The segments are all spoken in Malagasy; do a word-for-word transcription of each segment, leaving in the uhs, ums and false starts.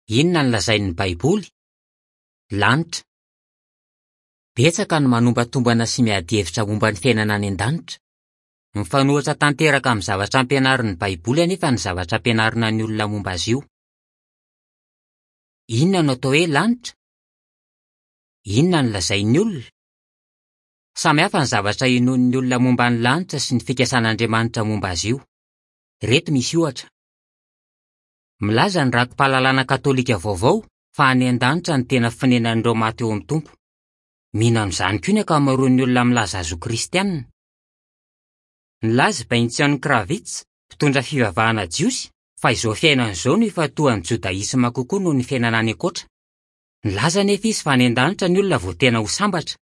Inona no lazain'ny Baiboly? Lanitra. Betsaka no manombantombana sy miady hevitra momba ny fiainana any an-danitra. Mifanohitra tanteraka amin'ny zavatra ampianarin'ny Baiboly anefa ny zavatra ampianarina ny olona momba azy io. Inona no atao hoe lanitra? Inona no lazain'ny olona? Samy hafa ny zavatra inoan'ny olona momba ny lanitra sy ny fikasan'Andriamanitra momba azy io. Ireto misy ohatra. Milaza ny raki-pahalalana katolika vaovao fa any an-danitra no tena fonenan'ireo maty eo amin'ny Tompo. Mino an'izany koa ny ankamaroan'ny olona milaza azy ho kristianina. Nilaza i Benzion Kravitz, mpitondra fivavahana jiosy, fa izao fiainana izao no ifantohan'ny jodaisma kokoa noho ny fiainana any ankoatra. Nilaza anefa izy fa any an-danitra ny olona vao tena ho sambatra.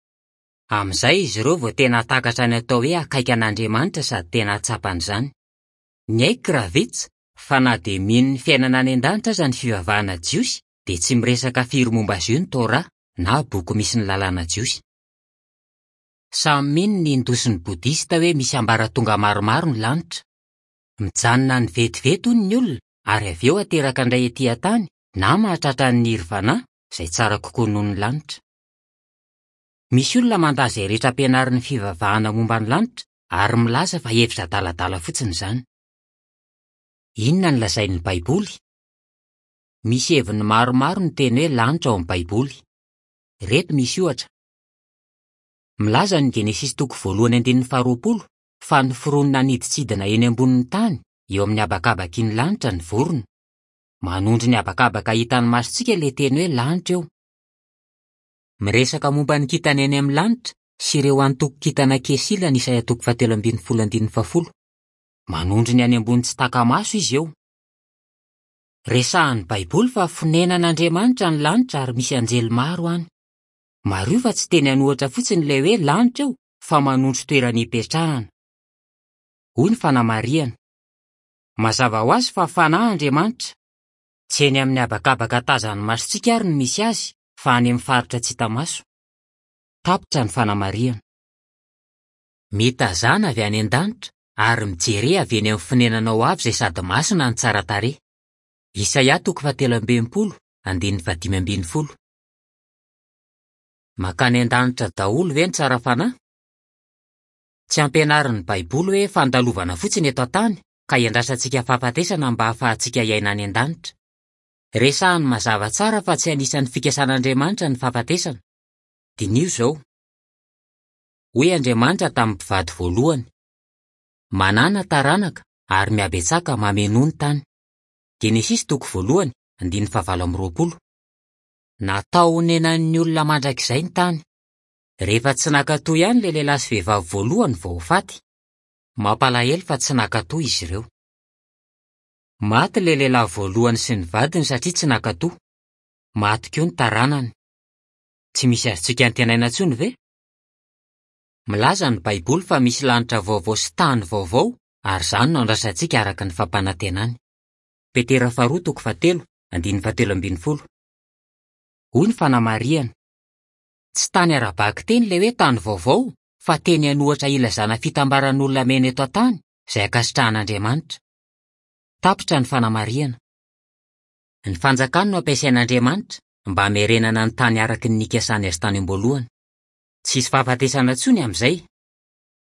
Amin'izay izy ireo vao tena hahatakatra ny atao hoe akaiky an'Andriamanitra sady tena hahatsapa an'izany. Niaiky Kravitz fa na dia mino ny fiainana any an-danitra aza ny fivavahana jiosy dia tsy miresaka firy momba azy io ny Torah na boky misy ny lalàna jiosy. Samy mino ny Hindoa sy ny Bodista hoe misy ambaratonga maromaro ny lanitra. Mijanona any vetivety hono ny olona ary avy eo ateraka indray ety an-tany na mahatratra ny nirvana izay tsara kokoa noho ny lanitra. Misy olona mandà izay rehetra ampianarin'ny fivavahana momba ny lanitra ary milaza fa hevitra adaladala fotsiny izany. Inona no lazain'ny Baiboly? Misy heviny maromaro ny teny hoe lanitra ao amin'ny Baiboly. Ireto misy ohatra. Milaza ny Genesisy toko voalohany andininy faharoapolo fa noforonina hanidintsidina eny ambonin'ny tany eo amin'ny habakabaky ny lanitra ny vorona. Manondro ny habakabaka hitan'ny masontsika ilay teny hoe lanitra eo. Miresaka momba ny kintana eny amin'ny lanitra sy ireo antokon-kintana Kesila ny Isaia toko fahatelo ambin'ny folo andininy fahafolo. Manondro ny any ambony tsy taka-maso izy eo. Resahan'ny Baiboly fa fonenan'Andriamanitra ny lanitra ary misy anjely maro any. Mariho fa tsy teny an'ohatra fotsiny ilay hoe lanitra eo fa manondro toerana ipetrahana. Hoy ny fanamarihana. Mazava ho azy fa fanahy Andriamanitra. Tsy eny amin'ny habakabaka tazan'ny masontsika ary no misy azy fa any amin'ny faritra tsy hita maso. Tapitra ny fanamarihana. Mitazana avy any an-danitra ary mijere avy eny amin'ny fonenanao avy izay sady masina no tsara tarehy. Isaia toko fahatelo amby enimpolo, andininy fahadimy ambin'ny folo. Mankany an-danitra daholo ve ny tsara fanahy? Tsy ampianarin'ny Baiboly hoe fandalovana fotsiny eto an-tany ka iandrasantsika fahafatesana mba hahafahantsika hiaina any an-danitra. Resahany mazava tsara fa tsy anisan'ny fikasan'Andriamanitra ny fahafatesana. Diniho izao. Hoy Andriamanitra tamin'ny mpivady voalohany: Manàna taranaka ary mihabetsaka mamenoa ny tany. Genesisy toko voalohany, andininy fahavalo amby roapolo. Natao honenan'ny olona mandrakizay ny tany. Rehefa tsy nankatò ihany ilay lehilahy sy vehivavy voalohany vao ho faty. Mampalahelo fa tsy nankatò izy ireo. Maty ilay lehilahy voalohany sy ny vadiny satria tsy nankatò. Maty koa ny taranany. Tsy misy azontsika antenaina intsony ve? Milaza ny Baiboly fa misy lanitra vaovao sy tany vaovao ary izany no andrasantsika araka ny fampanantenany. Petera faharoa toko fahatelo, andininy fahatelo ambin'ny folo. Hoy ny fanamarihana. Tsy tany ara-bakiteny ilay hoe tany vaovao fa teny an'ohatra ilazana fitambaran'olona miaina eto an-tany izay ankasitrahan'Andriamanitra. Tapitra ny fanamarihana. Ny fanjakany no ampiasain'Andriamanitra mba hamerenana ny tany araka ny nikasany azy tany am-boalohany. Tsy hisy fahafatesana intsony amin'izay.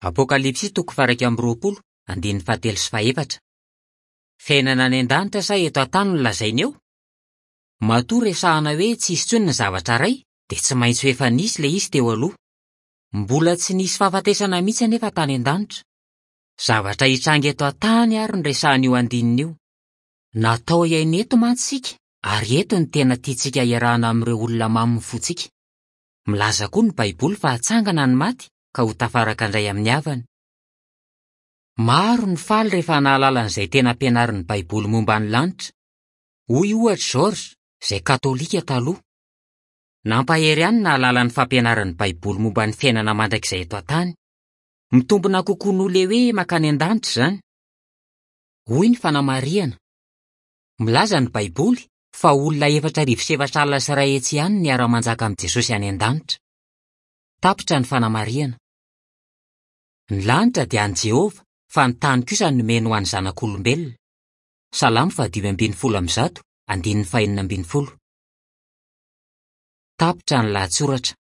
Apokalypsy toko faha-iraika amby roapolo, andininy fahatelo sy fahefatra. Fiainana any an-danitra sa eto an-tany no lazaina eo? Matoa resahana hoe tsy hisy intsony ny zavatra iray dia tsy maintsy ho efa nisy ilay izy teo aloha. Mbola tsy nisy fahafatesana mihitsy anefa tany an-danitra. Zavatra hitranga eto an-tany ary no resahan'io andininy io. Natao hiaina eto mantsy isika ary eto no tena tiantsika hiarahana amin'ireo olona mamy ny fontsika. Milaza koa ny Baiboly fa hatsangana ny maty ka ho tafaraka indray amin'ny havany. Maro ny faly rehefa nahalala an'izay tena ampianarin'ny Baiboly momba ny lanitra. Hoy ohatra George, izay katolika taloha. Nampahery ihany nahalala ny fampianaran'ny Baiboly momba ny fiainana mandrakizay eto an-tany. Mitombina kokoa noho ilay hoe mankany an-danitra izany. Hoy ny fanamarihana. Milaza ny Baiboly fa olona efatra arivo sy efatra alina sy iray hetsy ihany no hiara-manjaka amin'i Jesosy any an-danitra. Tapitra ny fanamarihana. Ny lanitra dia an'i Jehovah fa ny tany kosa nomeny ho an'ny zanak'olombelona. Salamo fahadimy ambin'ny folo amby zato, andininy fahenina ambin'ny folo. Tapitra ny lahatsoratra.